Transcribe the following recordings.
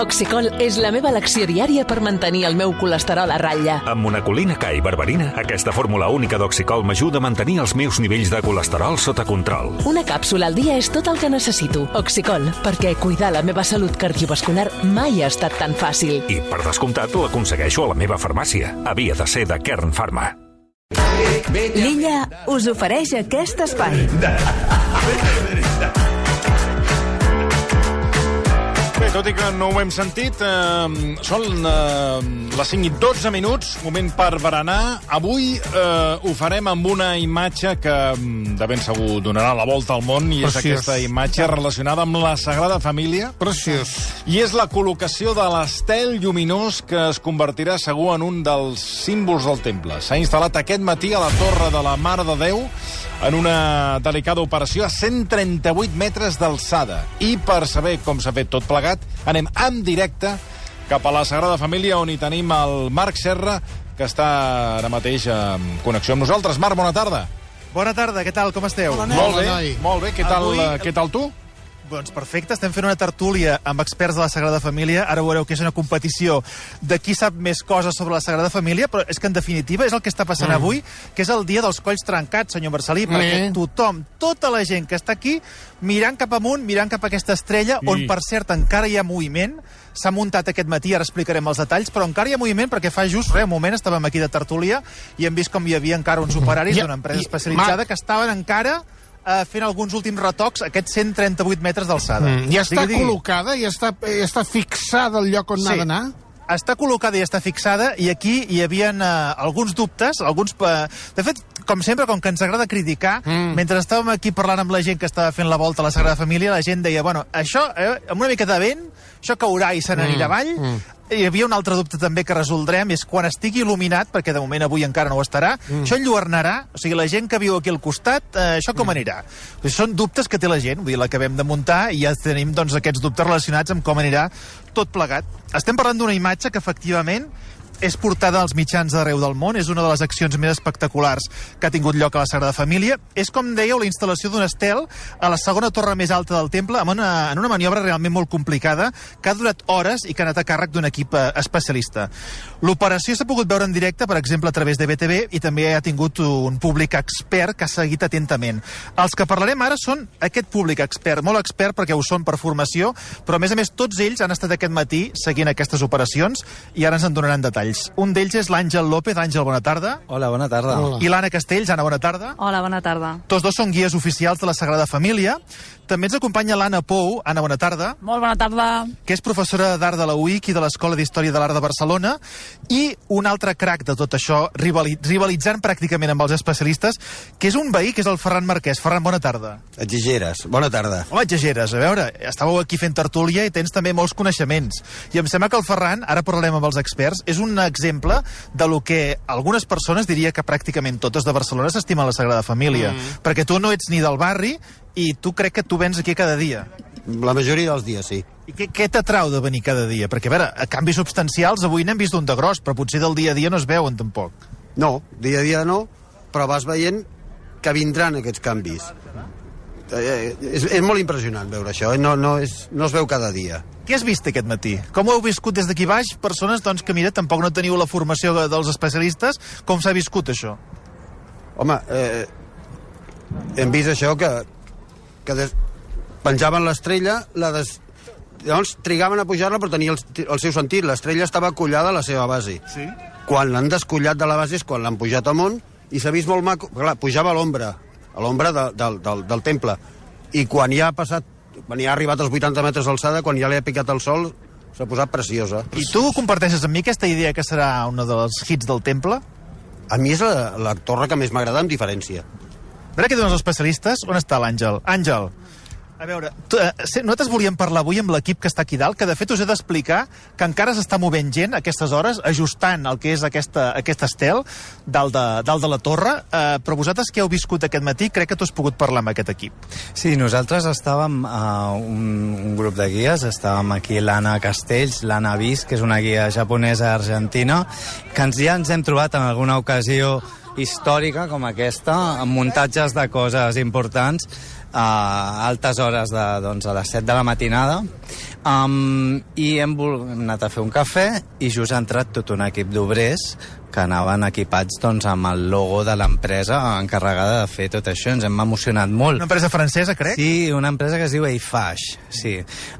Oxicol és la meva elecció diària per mantenir el meu colesterol a ratlla. Amb monacolina K i berberina, aquesta fórmula única d'Oxicol m'ajuda a mantenir els meus nivells de colesterol sota control. Una càpsula al dia és tot el que necessito. Oxicol, perquè cuidar la meva salut cardiovascular mai ha estat tan fàcil. I, per descomptat, l'aconsegueixo a la meva farmàcia. Havia de ser de Kern Pharma. L'Illa us ofereix aquest espai. Bé, tot i que no ho hem sentit, són les 5:12 minuts, moment per berenar. Avui ho farem amb una imatge que de ben segur donarà la volta al món, i és aquesta imatge relacionada amb la Sagrada Família. Preciós. I és la col·locació de l'estel lluminós que es convertirà segur en un dels símbols del temple. S'ha instal·lat aquest matí a la Torre de la Mare de Déu en una delicada operació a 138 metres d'alçada. I per saber com s'ha fet tot plegat, anem en directe cap a la Sagrada Família, on hi tenim el Marc Serra, que està ara mateix en connexió amb nosaltres. Marc, bona tarda. Bona tarda, què tal, com esteu? Molt bé, molt bé. Què tal tu? Doncs perfecte, estem fent una tertúlia amb experts de la Sagrada Família. Ara veureu que és una competició de qui sap més coses sobre la Sagrada Família, però és que en definitiva és el que està passant avui, que és el dia dels colls trencats, senyor Marcelí, perquè tothom, tota la gent que està aquí, mirant cap amunt, mirant cap a aquesta estrella, on per cert encara hi ha moviment, s'ha muntat aquest matí, ara explicarem els detalls, però encara hi ha moviment perquè fa just un moment estàvem aquí de tertúlia i hem vist com hi havia encara uns operaris d'una empresa especialitzada que estaven encara fent alguns últims retocs, aquests 138 metres d'alçada. Ja està col·locada? Ja està fixada el lloc on ha d'anar? Està col·locada i està fixada, i aquí hi havia alguns dubtes, de fet, com sempre, com que ens agrada criticar, mentre estàvem aquí parlant amb la gent que estava fent la volta a la Sagrada Família, la gent deia, bueno, això, amb una mica de vent, això caurà i se n'anirà avall. Hi havia un altre dubte també que resoldrem, és quan estigui il·luminat, perquè de moment avui encara no ho estarà, això enlluernarà, o sigui, la gent que viu aquí al costat, això com anirà? Són dubtes que té la gent, vull dir, l'acabem de muntar i ja tenim doncs, aquests dubtes relacionats amb com anirà tot plegat. Estem parlant d'una imatge que efectivament és portada als mitjans d'arreu del món, és una de les accions més espectaculars que ha tingut lloc a la Sagrada Família. És, com dèieu, la instal·lació d'un estel a la segona torre més alta del temple, en una maniobra realment molt complicada, que ha durat hores i que ha anat a càrrec d'un equip especialista. L'operació s'ha pogut veure en directe, per exemple, a través de BTV, i també ha tingut un públic expert que ha seguit atentament. Els que parlarem ara són aquest públic expert, molt expert perquè ho són per formació, però a més, tots ells han estat aquest matí seguint aquestes operacions i ara ens en donaran detalls. Un d'ells és l'Àngel López. Àngel, bona tarda. Hola, bona tarda. I l'Anna Castells. Anna, bona tarda. Hola, bona tarda. Tots dos són guies oficials de la Sagrada Família. També ens acompanya l'Anna Pou. Anna, bona tarda. Molt bona tarda. Que és professora d'Art de la UIC i de l'Escola d'Història de l'Art de Barcelona. I un altre crac de tot això, rivalitzant pràcticament amb els especialistes, que és un veí, que és el Ferran Marquès. Ferran, bona tarda. Exageres. Bona tarda. Home, exageres. A veure, estàveu aquí fent tertúlia i tens també molts coneixements. I em sembla que el Ferran, ara parlarem amb els experts, és un exemple de lo que algunes persones, diria que pràcticament totes de Barcelona, s'estimen la Sagrada Família. Perquè tu no ets ni del barri i tu crec que tu vens aquí cada dia. La majoria dels dies, sí. I què t'atrau de venir cada dia? Perquè, a veure, a canvis substancials avui n'hem vist un de gros, però potser del dia a dia no es veuen tampoc. No, dia a dia no, però vas veient que vindran aquests canvis. És molt impressionant veure això, no es veu cada dia. Què has vist aquest matí? Com ho heu viscut des d'aquí baix? Persones doncs, que, mira, tampoc no teniu la formació dels especialistes. Com s'ha viscut això? Home, hem vist això que penjaven l'estrella, llavors trigaven a pujar-la però tenia el seu sentit. L'estrella estava acollada a la seva base. Sí? Quan l'han descollat de la base és quan l'han pujat amunt i s'ha vist molt maco. Clar, pujava a l'ombra del temple. I quan ja ha arribat als 80 metres d'alçada, quan ja li ha picat el sol, s'ha posat preciosa. I tu comparteixes amb mi aquesta idea que serà un dels hits del temple? A mi és la torre que més m'agrada, amb diferència. A veure què diuen els especialistes. On està l'Àngel? Àngel, a veure, nosaltres volíem parlar avui amb l'equip que està aquí dalt, que de fet us he d'explicar que encara s'està movent gent a aquestes hores, ajustant el que és aquest estel dalt de la torre, però vosaltres que heu viscut aquest matí, crec que tu has pogut parlar amb aquest equip. Sí, nosaltres estàvem un grup de guies, estàvem aquí l'Anna Castells, l'Anna Vis, que és una guia japonesa argentina, que ja ens hem trobat en alguna ocasió històrica com aquesta, amb muntatges de coses importants, a altes hores a les 7 de la matinada, i hem anat a fer un cafè i just ha entrat tot un equip d'obrers que anaven equipats amb el logo de l'empresa encarregada de fer tot això. Ens hem emocionat molt. Una empresa francesa, crec? Sí, una empresa que es diu Eiffage, sí.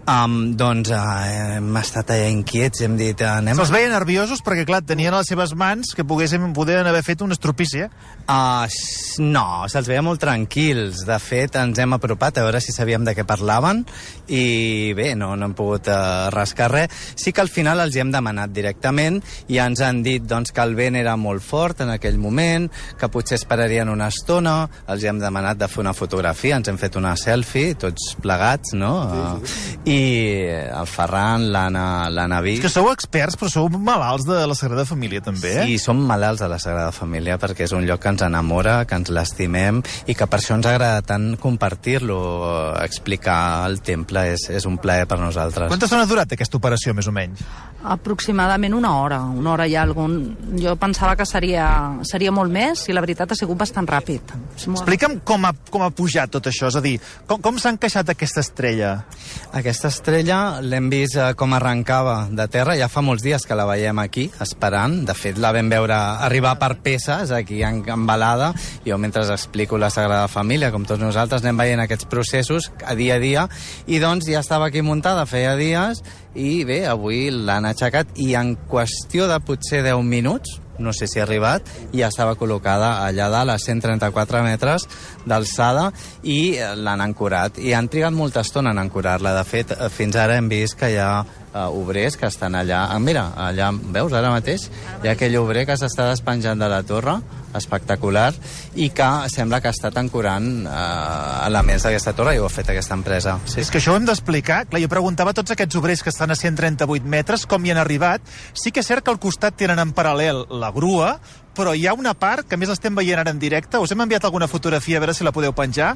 Hem estat allà inquiets, hem dit... Se'ls veien nerviosos perquè, clar, tenien a les seves mans que podien haver fet un estropici, eh? No, se'ls veia molt tranquils. De fet, ens hem apropat a veure si sabíem de què parlaven i bé, no hem pogut rascar res. Sí que al final els hi hem demanat directament i ens han dit que el vent era molt fort en aquell moment, que potser esperarien una estona, els hem demanat de fer una fotografia, ens hem fet una selfie, tots plegats, no? I el Ferran, l'Anna Vic... És que sou experts, però sou malalts de la Sagrada Família, també, eh? Sí, som malalts de la Sagrada Família, perquè és un lloc que ens enamora, que ens l'estimem, i que per això ens agrada tant compartir-lo, explicar el temple, és un plaer per nosaltres. Quanta estona ha durat aquesta operació, més o menys? Aproximadament una hora i algun. Jo pensava que seria molt més i la veritat ha sigut bastant ràpid. Explica'm com ha pujat tot això, és a dir, com s'ha encaixat aquesta estrella? Aquesta estrella l'hem vist com arrencava de terra, ja fa molts dies que la veiem aquí, esperant. De fet, la vam veure arribar per peces aquí embalada. Jo, mentre explico la Sagrada Família, com tots nosaltres, anem veient aquests processos a dia, i doncs ja estava aquí muntada feia dies, i bé, avui l'han aixecat i en qüestió de potser 10 minuts, no sé si ha arribat, i ja estava col·locada allà dalt a 134 metres d'alçada i l'han ancorat. I han trigat molta estona en ancorar-la. De fet, fins ara hem vist que hi ha obrers que estan allà. Mira, allà, veus, ara mateix hi ha aquell obrer que s'està despenjant de la torre, espectacular, i que sembla que ha estat ancorant elements d'aquesta torre i ho ha fet aquesta empresa. Sí. És que això ho hem d'explicar. Clar, jo preguntava a tots aquests obrers que estan a 138 metres com hi han arribat. Sí que és cert que al costat tenen en paral·lel la grua, però hi ha una part, que a més l'estem veient ara en directe, us hem enviat alguna fotografia, a veure si la podeu penjar,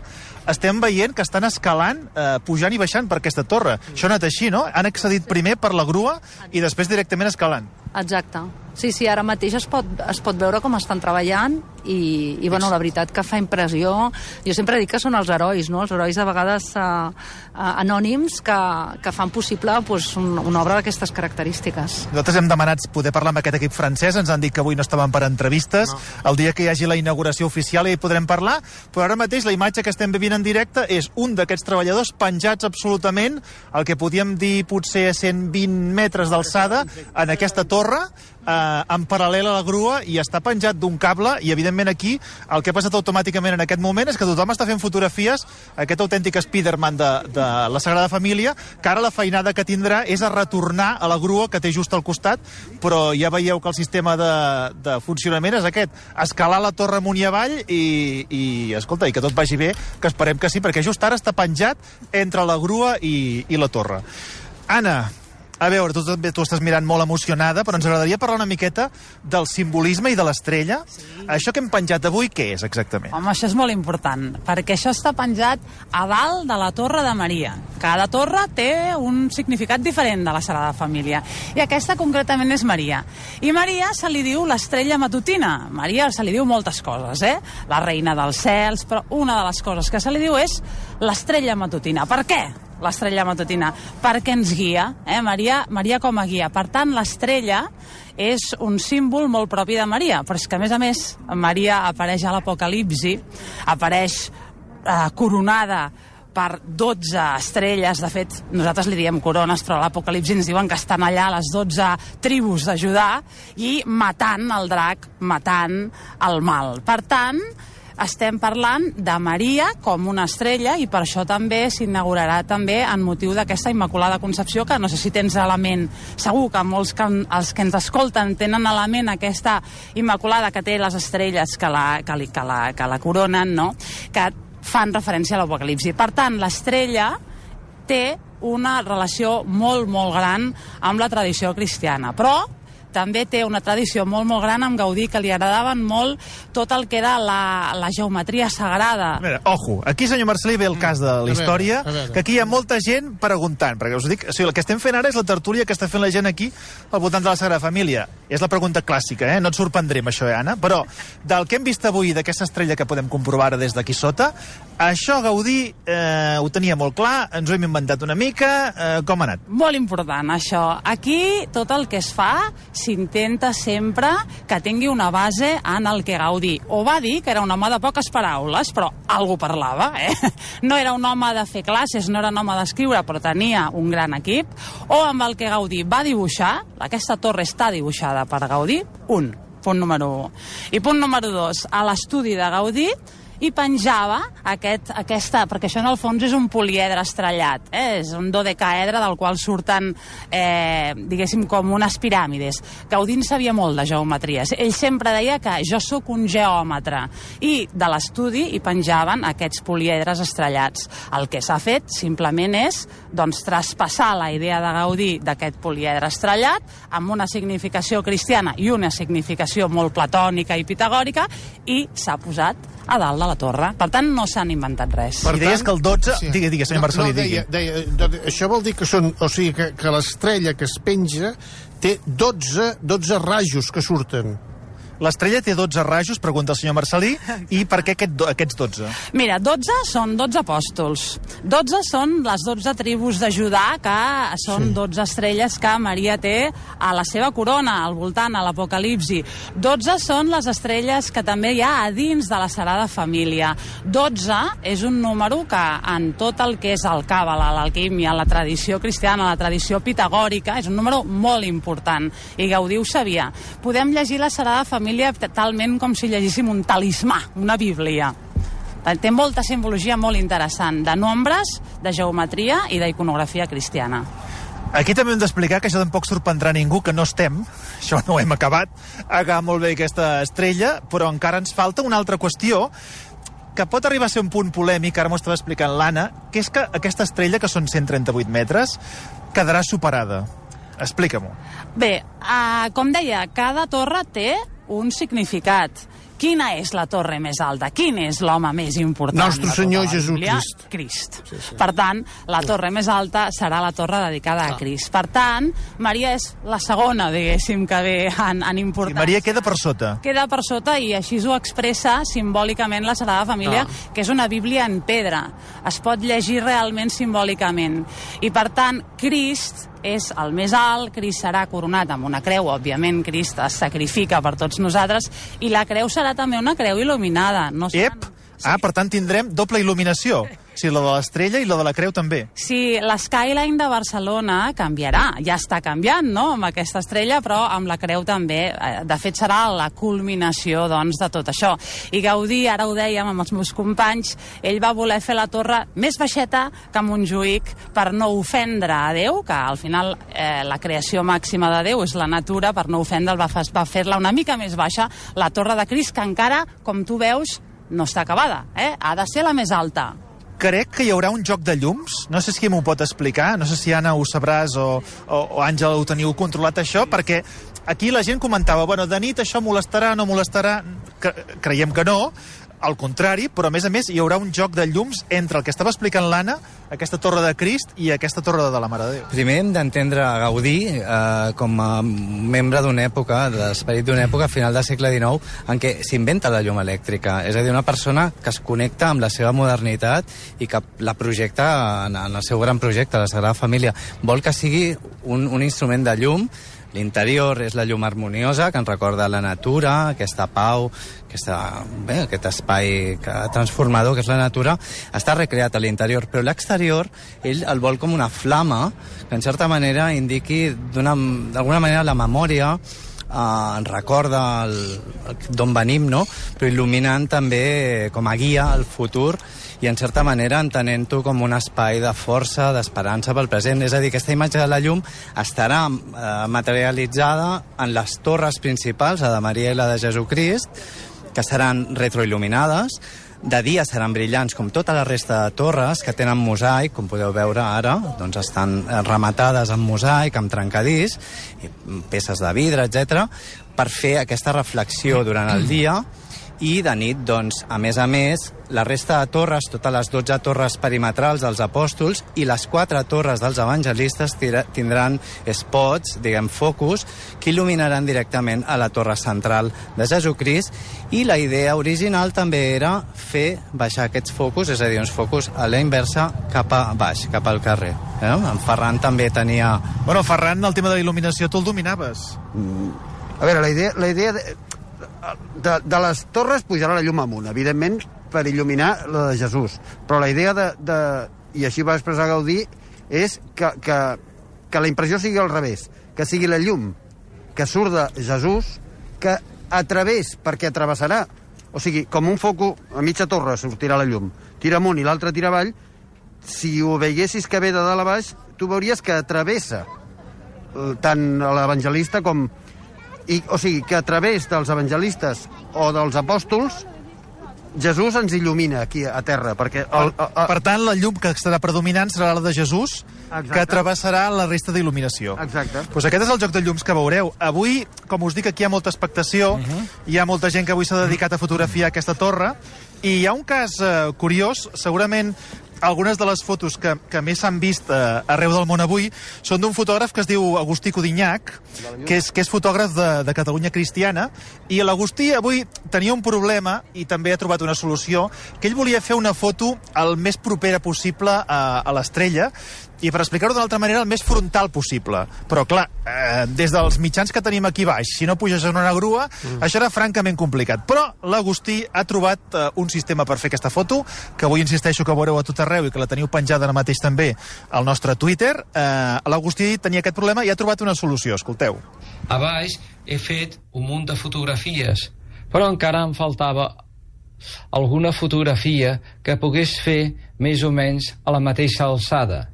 estem veient que estan escalant, pujant i baixant per aquesta torre. Això ha anat així, no? Han accedit primer per la grua i després directament escalant. Exacte. Sí, ara mateix es pot veure com estan treballant i bueno, la veritat que fa impressió. Jo sempre dic que són els herois, no? Els herois de vegades anònims que fan possible una obra d'aquestes característiques. Nosaltres hem demanat poder parlar amb aquest equip francès, ens han dit que avui no estaven per entrevistes, el dia que hi hagi la inauguració oficial ja hi podrem parlar, però ara mateix la imatge que estem vivint en directe és un d'aquests treballadors penjats absolutament, el que podíem dir potser a 120 metres d'alçada, en aquesta torre, en paral·lel a la grua, i està penjat d'un cable, i evidentment aquí el que ha passat automàticament en aquest moment és que tothom està fent fotografies, aquest autèntic Spiderman de la Sagrada Família, que ara la feinada que tindrà és a retornar a la grua que té just al costat, però ja veieu que el sistema de funcionament és aquest, escalar la torre amunt i avall i escolta, i que tot vagi bé, que esperem que sí, perquè just ara està penjat entre la grua i la torre. Anna, a veure, tu estàs mirant molt emocionada, però ens agradaria parlar una miqueta del simbolisme i de l'estrella. Sí. Això que hem penjat avui, què és exactament? Home, això és molt important, perquè això està penjat a dalt de la Torre de Maria. Cada torre té un significat diferent de la Sagrada Família, i aquesta concretament és Maria. I Maria se li diu l'estrella matutina. Maria se li diu moltes coses, la reina dels cels, però una de les coses que se li diu és l'estrella matutina. Per què? L'estrella matutina, perquè ens guia, Maria com a guia. Per tant, l'estrella és un símbol molt propi de Maria, però és que, a més, Maria apareix a l'Apocalipsi, apareix coronada per 12 estrelles. De fet, nosaltres li diem corones, però a l'Apocalipsi ens diuen que estan allà les 12 tribus de Judà i matant el drac, matant el mal. Per tant, estem parlant de Maria com una estrella, i per això també s'inaugurarà també en motiu d'aquesta Immaculada Concepció, que no sé si tens a la ment, segur que molts els que ens escolten tenen a la ment aquesta Immaculada que té les estrelles que la coronen, no? Que fan referència a l'Apocalipsi. Per tant, l'estrella té una relació molt, molt gran amb la tradició cristiana, però també té una tradició molt, molt gran amb Gaudí, que li agradaven molt tot el que era la geometria sagrada. Mira, ojo, aquí, senyor Marcelí, ve el cas de la història, que aquí hi ha molta gent preguntant, perquè us dic, o sigui, el que estem fent ara és la tertúlia que està fent la gent aquí al voltant de la Sagrada Família. És la pregunta clàssica, no et sorprendré amb això, Anna, però del que hem vist avui, d'aquesta estrella que podem comprovar ara des d'aquí sota, això Gaudí ho tenia molt clar, ens ho hem inventat una mica, com ha anat? Molt important, això. Aquí tot el que es fa s'intenta sempre que tingui una base en el que Gaudí o va dir, que era un home de poques paraules, però algú parlava, No era un home de fer classes, no era un home d'escriure, però tenia un gran equip, o amb el que Gaudí va dibuixar, aquesta torre està dibuixada per Gaudí, punt número 1. I punt número 2, a l'estudi de Gaudí i penjava aquesta, perquè això en el fons és un poliedre estrellat, és un dodecàedre del qual surten, diguéssim, com unes piràmides. Gaudí en sabia molt de geometries. Ell sempre deia que jo sóc un geòmetre, i de l'estudi hi penjaven aquests poliedres estrellats. El que s'ha fet simplement és traspassar la idea de Gaudí d'aquest poliedre estrellat amb una significació cristiana i una significació molt platònica i pitagòrica, i s'ha posat a dalt de la torre. Per tant, no s'han inventat res. I deies que el 12... Sí. Digues, senyor Marcelí, digui. Això vol dir que que l'estrella que es penja té 12 rajos que surten. L'estrella té 12 rajos, pregunta el senyor Marcelí, i per què aquests 12? Mira, 12 són 12 apòstols. 12 són les 12 tribus de Judà, que són 12 estrelles que Maria té a la seva corona, al voltant, a l'Apocalipsi. 12 són les estrelles que també hi ha a dins de la Sagrada Família. 12 és un número que en tot el que és el càbala, l'alquímia, la tradició cristiana, la tradició pitagòrica, és un número molt important. I Gaudí ho sabia. Podem llegir la Sagrada Família talment com si llegíssim un talismà, una bíblia. Té molta simbologia molt interessant, de nombres, de geometria i d'iconografia cristiana. Aquí també hem d'explicar que això tampoc sorprendrà ningú, que no estem, això no ho hem acabat, molt bé aquesta estrella, però encara ens falta una altra qüestió que pot arribar a ser un punt polèmic, ara m'ho estava explicant l'Anna, que és que aquesta estrella, que són 138 metres, quedarà superada. Explica-m'ho. Bé, com deia, cada torre té un significat. Quina és la torre més alta? Quin és l'home més important? Nostre Senyor Jesucrist. Crist. Per tant, la torre més alta serà la torre dedicada a Crist. Per tant, Maria és la segona, diguéssim, que ve en importància. I Maria queda per sota. Queda per sota, i així ho expressa simbòlicament la Sagrada Família, que és una Bíblia en pedra. Es pot llegir realment simbòlicament. I per tant, Crist és el més alt, Crist serà coronat amb una creu, òbviament Crist es sacrifica per tots nosaltres, i la creu serà també una creu il·luminada. Per tant tindrem doble il·luminació. O sigui, la de l'estrella i la de la creu també. Sí, l'Skyline de Barcelona canviarà. Ja està canviant, no?, amb aquesta estrella, però amb la creu també. De fet, serà la culminació, doncs, de tot això. I Gaudí, ara ho dèiem amb els meus companys, ell va voler fer la torre més baixeta que Montjuïc per no ofendre a Déu, que al final la creació màxima de Déu és la natura, per no ofendre'l va fer-la una mica més baixa, la torre de Crist, que encara, com tu veus, no està acabada. Ha de ser la més alta. Crec que hi haurà un joc de llums, no sé si m'ho pot explicar, no sé si Anna ho sabràs o Àngela ho teniu controlat això, perquè aquí la gent comentava, bueno, de nit això molestarà, no molestarà, creiem que no, al contrari, però a més hi haurà un joc de llums entre el que estava explicant l'Anna, aquesta torre de Crist, i aquesta torre de la Mare de Déu. Primer hem d'entendre Gaudí com a membre d'una època, de l'esperit d'una època, a final del segle XIX, en què s'inventa la llum elèctrica. És a dir, una persona que es connecta amb la seva modernitat i que la projecta en el seu gran projecte, la Sagrada Família. Vol que sigui un instrument de llum. L'interior és la llum harmoniosa, que ens recorda la natura, aquesta pau, aquest espai transformador que és la natura, està recreat a l'interior, però l'exterior ell el vol com una flama que en certa manera indiqui d'alguna manera la memòria, ens recorda d'on venim, no? Però il·luminant també com a guia al futur i en certa manera entenent-ho com un espai de força, d'esperança pel present. És a dir, aquesta imatge de la llum estarà materialitzada en les torres principals, la de Maria i la de Jesucrist, que seran retroil·luminades. De dia seran brillants com tota la resta de torres, que tenen mosaic, com podeu veure ara, doncs estan rematades amb mosaic, amb trencadís, peces de vidre, etc., per fer aquesta reflexió durant el dia I de nit, doncs, a més, la resta de torres, totes les 12 torres perimetrals dels apòstols i les 4 torres dels evangelistes tindran spots, diguem, focus, que il·luminaran directament a la torre central de Jesucrist, i la idea original també era fer baixar aquests focus, és a dir, uns focus a la inversa cap a baix, cap al carrer. En Ferran també tenia... Bueno, Ferran, el tema de la il·luminació tu el dominaves. A veure, la idea de les torres pujarà la llum amunt, evidentment, per il·luminar la de Jesús. Però la idea i així va expressar Gaudí, és que la impressió sigui al revés, que sigui la llum que surt de Jesús, que a través, perquè travessarà, o sigui, com un foco a mitja torre sortirà la llum, tira amunt i l'altre tira avall, si ho veiessis que ve de dalt a baix, tu veuries que travessa tant l'evangelista com... o sigui, que a través dels evangelistes o dels apòstols Jesús ens il·lumina aquí a terra, perquè... Per tant, la llum que estarà predominant serà la de Jesús, exacte, que travessarà la resta d'il·luminació. Exacte. Pues aquest és el joc de llums que veureu. Avui, com us dic, aquí hi ha molta expectació, hi ha molta gent que avui s'ha dedicat a fotografiar aquesta torre, i hi ha un cas curiós, segurament algunes de les fotos que més s'han vist arreu del món avui són d'un fotògraf que es diu Agustí Codinyac, que és fotògraf de Catalunya Cristiana, i l'Agustí avui tenia un problema i també ha trobat una solució, que ell volia fer una foto el més propera possible a l'estrella, i per explicar-ho d'una altra manera, el més frontal possible. Però, clar, des dels mitjans que tenim aquí baix, si no puges en una grua, això era francament complicat. Però l'Agustí ha trobat un sistema per fer aquesta foto, que avui insisteixo que veureu a tot arreu i que la teniu penjada ara mateix també al nostre Twitter. L'Agustí tenia aquest problema i ha trobat una solució. Escolteu. A baix he fet un munt de fotografies, però encara em faltava alguna fotografia que pogués fer més o menys a la mateixa alçada.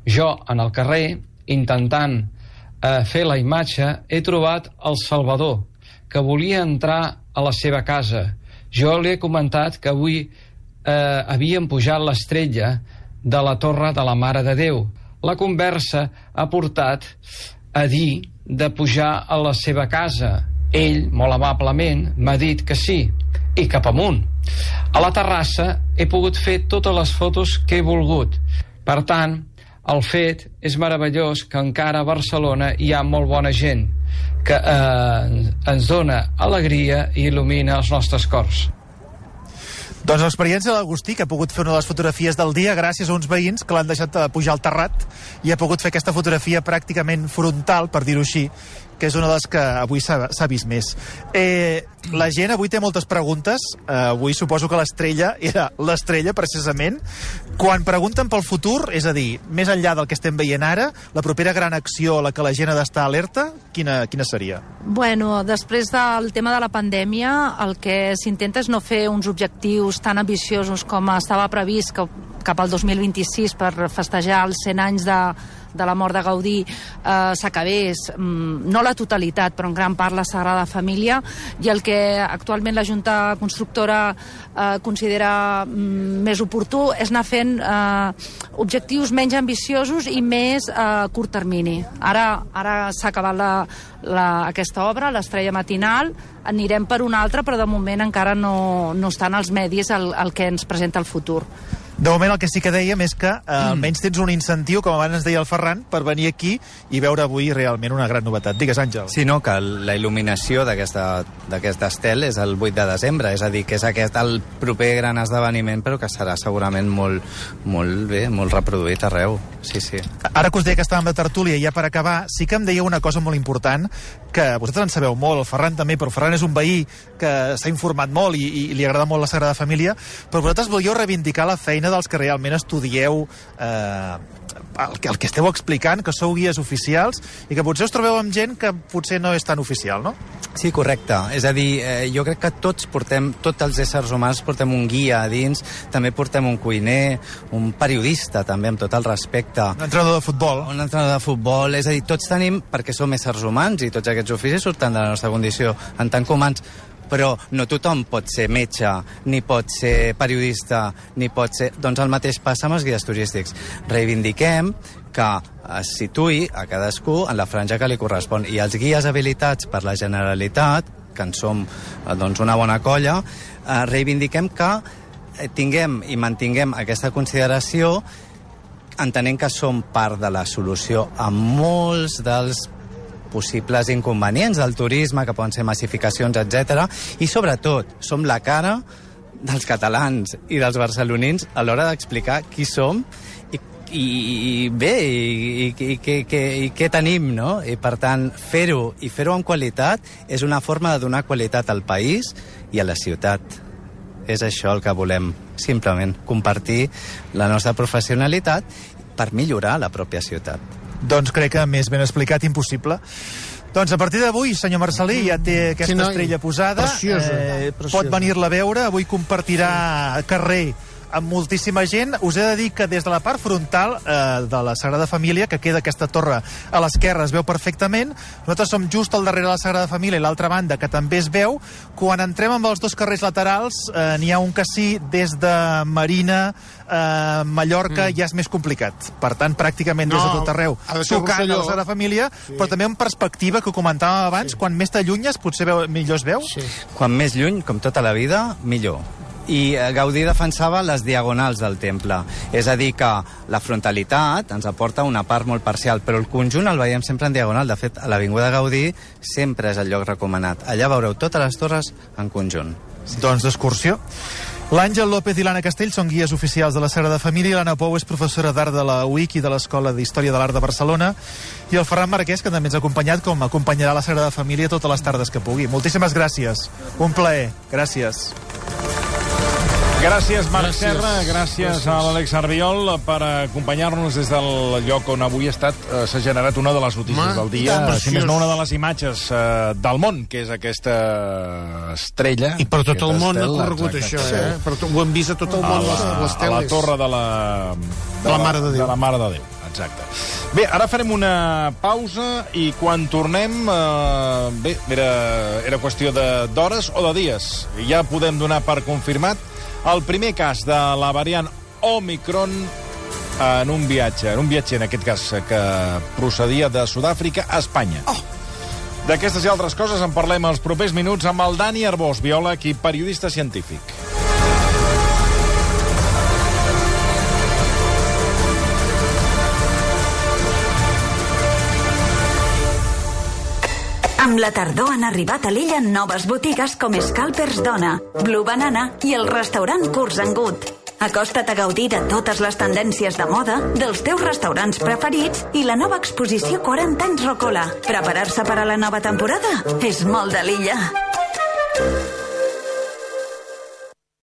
Jo, en el carrer, intentant fer la imatge, he trobat el Salvador, que volia entrar a la seva casa. Jo li he comentat que avui havien pujat l'estrella de la Torre de la Mare de Déu. La conversa ha portat a dir de pujar a la seva casa. Ell, molt amablement, m'ha dit que sí, i cap amunt. A la terrassa he pogut fer totes les fotos que he volgut. Per tant, el fet és meravellós que encara a Barcelona hi ha molt bona gent que ens dona alegria i il·lumina els nostres cors. Doncs l'experiència de l'Agustí, que ha pogut fer una de les fotografies del dia gràcies a uns veïns que l'han deixat pujar al terrat i ha pogut fer aquesta fotografia pràcticament frontal, per dir-ho així, que és una de les que avui s'ha vist més. La gent avui té moltes preguntes. Avui suposo que l'estrella era l'estrella, precisament. Quan pregunten pel futur, és a dir, més enllà del que estem veient ara, la propera gran acció a la que la gent ha d'estar alerta, quina seria? Bueno, després del tema de la pandèmia, el que s'intenta és no fer uns objectius tan ambiciosos com estava previst cap al 2026 per festejar els 100 anys de la mort de Gaudí s'acabés, no la totalitat, però en gran part la Sagrada Família, i el que actualment la Junta Constructora considera més oportú és anar fent objectius menys ambiciosos i més a curt termini. Ara s'ha acabat aquesta obra, l'Estrella Matinal, anirem per una altra, però de moment encara no estan als medis el que ens presenta el futur. De moment el que sí que dèiem és que almenys tens un incentiu, com abans ens deia el Ferran, per venir aquí i veure avui realment una gran novetat. Digues, Àngel. Sí, no, que la il·luminació d'aquest estel és el 8 de desembre, és a dir, que és el proper gran esdeveniment, però que serà segurament molt bé, molt reproduït arreu. Sí, sí. Ara que us deia que estàvem de tertúlia, ja per acabar, sí que em deia una cosa molt important, que vosaltres en sabeu molt, el Ferran també, però el Ferran és un veí que s'ha informat molt i li agrada molt la Sagrada Família, però vosaltres volíeu reivindicar la feina dels que realment estudieu el que esteu explicant, que sou guies oficials i que potser us trobeu amb gent que potser no és tan oficial, no? Sí, correcte. És a dir, jo crec que tots els éssers humans portem un guia a dins, també portem un cuiner, un periodista també, amb tot el respecte. Un entrenador de futbol. Un entrenador de futbol, és a dir, tots tenim, perquè som éssers humans i tots aquests oficis surten de la nostra condició en tant que humans, però no tothom pot ser metge, ni pot ser periodista, ni pot ser... Doncs el mateix passa amb els guies turístics. Reivindiquem que es situï a cadascú en la franja que li correspon. I els guies habilitats per la Generalitat, que en som una bona colla, reivindiquem que tinguem i mantinguem aquesta consideració, entenent que som part de la solució a molts dels possibles inconvenients del turisme, que poden ser massificacions, etc. I sobretot, som la cara dels catalans i dels barcelonins a l'hora d'explicar qui som i què tenim, no? I per tant, fer-ho amb qualitat és una forma de donar qualitat al país i a la ciutat. És això el que volem, simplement, compartir la nostra professionalitat per millorar la pròpia ciutat. Doncs crec que més ben explicat, impossible. Doncs a partir d'avui, senyor Marcelí, ja té aquesta estrella posada. Preciosa. Pot venir-la a veure. Avui compartirà carrer amb moltíssima gent. Us he de dir que des de la part frontal de la Sagrada Família, que queda aquesta torre a l'esquerra, es veu perfectament. Nosaltres som just al darrere de la Sagrada Família i l'altra banda, que també es veu. Quan entrem amb els dos carrers laterals, n'hi ha un que sí, des de Marina, Mallorca, ja és més complicat. Per tant, pràcticament des de tot arreu, tocant a la Sagrada Família, però també en perspectiva, que comentàvem abans, quan més t'allunyes, potser millor es veu? Quan més lluny, com tota la vida, millor. I Gaudí defensava les diagonals del temple. És a dir, que la frontalitat ens aporta una part molt parcial, però el conjunt el veiem sempre en diagonal. De fet, a l'Avinguda Gaudí sempre és el lloc recomanat. Allà veureu totes les torres en conjunt. Doncs d'excursió. L'Àngel López i l'Anna Castell són guies oficials de la Sagrada Família, l'Anna Pou és professora d'Art de la UIC i de l'Escola d'Història de l'Art de Barcelona, i el Ferran Marquès, que també ens ha acompanyat, com acompanyarà la Sagrada Família totes les tardes que pugui. Moltíssimes gràcies. Un plaer. Gràcies. Gràcies, Marc Serra, gràcies a l'Àlex Arbiol per acompanyar-nos des del lloc on avui s'ha generat una de les notícies del dia, si més no una de les imatges del món, que és aquesta estrella. I per tot el món ha corregut això, ho hem vist a tot el món, les teles. A la torre de la Mare de Déu. De la Mare de Déu, exacte. Bé, ara farem una pausa i quan tornem, era qüestió d'hores o de dies. Ja podem donar per confirmat el primer cas de la variant Omicron en un viatger, en aquest cas, que procedia de Sud-àfrica a Espanya. D'aquestes i altres coses en parlem els propers minuts amb el Dani Arbós, biòleg i periodista científic. Amb la tardor han arribat a l'illa noves botigues com Scalpers Dona, Blue Banana i el restaurant Curs and Good. Acosta't a gaudir de totes les tendències de moda, dels teus restaurants preferits i la nova exposició 40 anys Rocola. Preparar-se per a la nova temporada és molt de l'illa.